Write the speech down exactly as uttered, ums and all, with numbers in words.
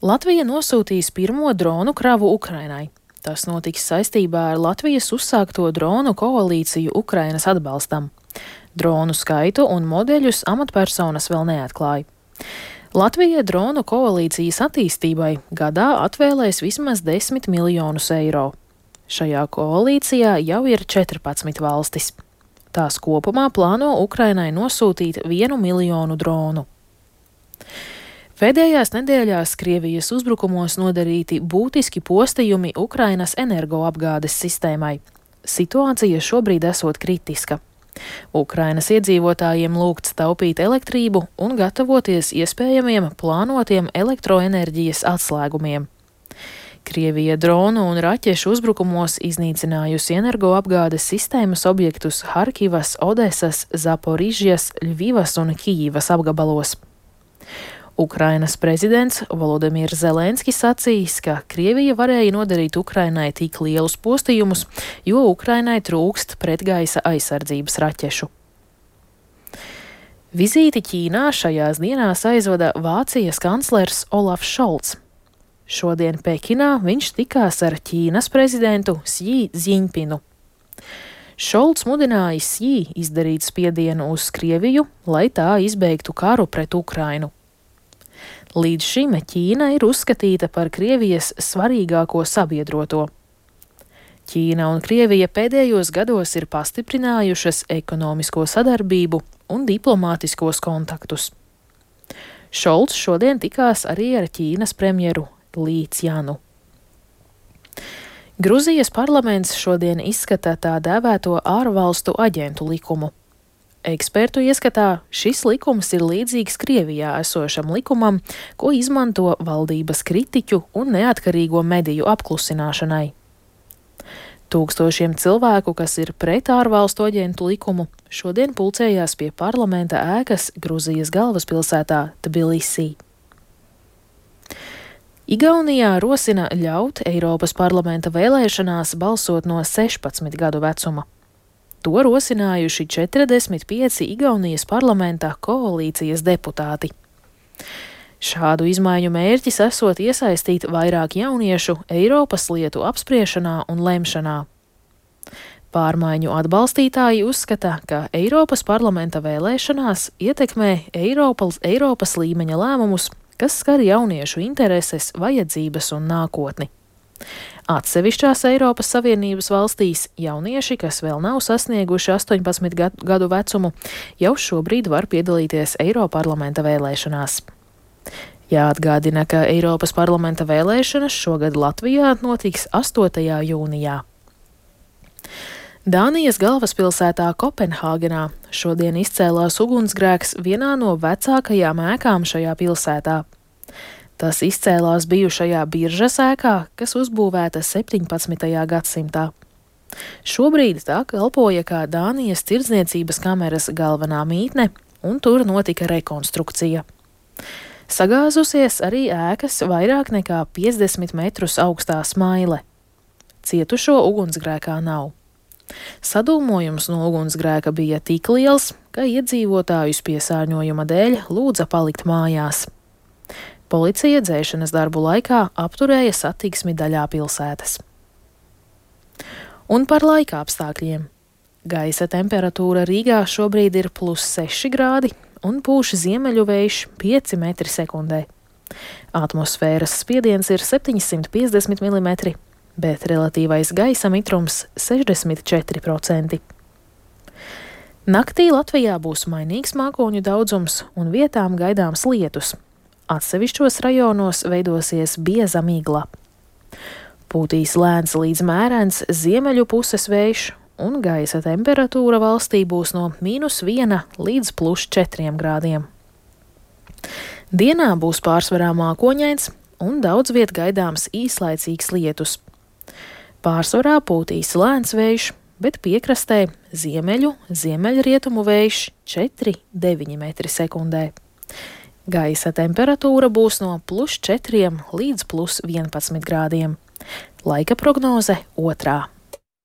Latvija nosūtīs pirmo dronu kravu Ukrainai. Tas notiks saistībā ar Latvijas uzsākto dronu koalīciju Ukrainas atbalstam. Dronu skaitu un modeļus amatpersonas vēl neatklāja. Latvija dronu koalīcijas attīstībai gadā atvēlēs vismaz desmit miljonus eiro. Šajā koalīcijā jau ir četrpadsmit valstis. Tās kopumā plāno Ukrainai nosūtīt vienu miljonu dronu. Pēdējās nedēļās Krievijas uzbrukumos nodarīti būtiski postījumi Ukrainas energoapgādes sistēmai. Situācija šobrīd esot kritiska. Ukrainas iedzīvotājiem lūgts taupīt elektrību un gatavoties iespējamiem plānotiem elektroenerģijas atslēgumiem. Krievija dronu un raķešu uzbrukumos iznīcinājusi energoapgādes sistēmas objektus Harkivas, Odesas, Zaporižjas, Ļvivas un Kijivas apgabalos. Ukrainas prezidents Volodimirs Zelenskis sacījis, ka Krievija varēja nodarīt Ukrainai tik lielus postījumus, jo Ukrainai trūkst pretgaisa aizsardzības raķešu. Vizīti Ķīnā šajās dienās aizvada Vācijas kanclers Olafs Šolts. Šodien Pekinā viņš tikās ar Ķīnas prezidentu Sji Ziņpinu. Šolts mudināja Sji izdarīt spiedienu uz Krieviju, lai tā izbeigtu karu pret Ukrainu. Līdz šim Ķīna ir uzskatīta par Krievijas svarīgāko sabiedroto. Ķīna un Krievija pēdējos gados ir pastiprinājušas ekonomisko sadarbību un diplomātiskos kontaktus. Šolts šodien tikās arī ar Ķīnas premjeru Lī Cjanu. Gruzijas parlaments šodien izskata tā dēvēto ārvalstu aģentu likumu. Ekspertu ieskatā šis likums ir līdzīgs Krievijā esošam likumam, ko izmanto valdības kritiķu un neatkarīgo mediju apklusināšanai. Tūkstošiem cilvēku, kas ir pret ārvalstu aģentu likumu, šodien pulcējās pie parlamenta ēkas Gruzijas galvaspilsētā Tbilisī. Igaunijā rosina ļaut Eiropas parlamenta vēlēšanās balsot no sešpadsmit gadu vecuma. To rosinājuši četrdesmit pieci Igaunijas parlamentā koalīcijas deputāti. Šādu izmaiņu mērķis esot iesaistīt vairāk jauniešu Eiropas lietu apspriešanā un lemšanā. Pārmaiņu atbalstītāji uzskata, ka Eiropas parlamenta vēlēšanās ietekmē Eiropas, Eiropas līmeņa lēmumus, kas skar jauniešu intereses, vajadzības un nākotni. Atsevišķās Eiropas Savienības valstīs jaunieši, kas vēl nav sasnieguši astoņpadsmit gadu vecumu, jau šobrīd var piedalīties Eiroparlamenta vēlēšanās. Jāatgādina, ka Eiropas parlamenta vēlēšanas šogad Latvijā notiks astotajā jūnijā. Dānijas galvaspilsētā Kopenhāgenā šodien izcēlās ugunsgrēks vienā no vecākajām ēkām šajā pilsētā. Tas izcēlās bijušajā biržas ēkā, kas uzbūvēta septiņpadsmitajā gadsimtā. Šobrīd tā kalpoja kā Dānijas tirdzniecības kameras galvenā mītne, un tur notika rekonstrukcija. Sagāzusies arī ēkas vairāk nekā piecdesmit metrus augstā smaile. Cietušo ugunsgrēkā nav. Sadūmojums no ugunsgrēka bija tik liels, ka iedzīvotājus piesārņojuma dēļ lūdza palikt mājās. Policija dzēšanas darbu laikā apturēja satiksmi daļā pilsētas. Un par laika apstākļiem. Gaisa temperatūra Rīgā šobrīd ir plus seši grādi un pūš ziemeļu vējš pieci metri sekundē. Atmosfēras spiediens ir septiņsimt piecdesmit milimetri, bet relatīvais gaisa mitrums sešdesmit četri procenti. Naktī Latvijā būs mainīgs mākoņu daudzums un vietām gaidāms lietus. Atsevišķos rajonos veidosies bieza migla. Pūtīs lēns līdz mērens ziemeļu puses vējš, un gaisa temperatūra valstī būs no mīnus viena līdz plus četriem grādiem. Dienā būs pārsvarā mākoņains un daudz viet gaidāms īslaicīgs lietus. Pārsvarā pūtīs lēns vējš, bet piekrastē ziemeļu, ziemeļrietumu vējš četri deviņi metri sekundē. Gaisa temperatūra būs no plus četriem līdz plus vienpadsmit grādiem. Laika prognoze otrā.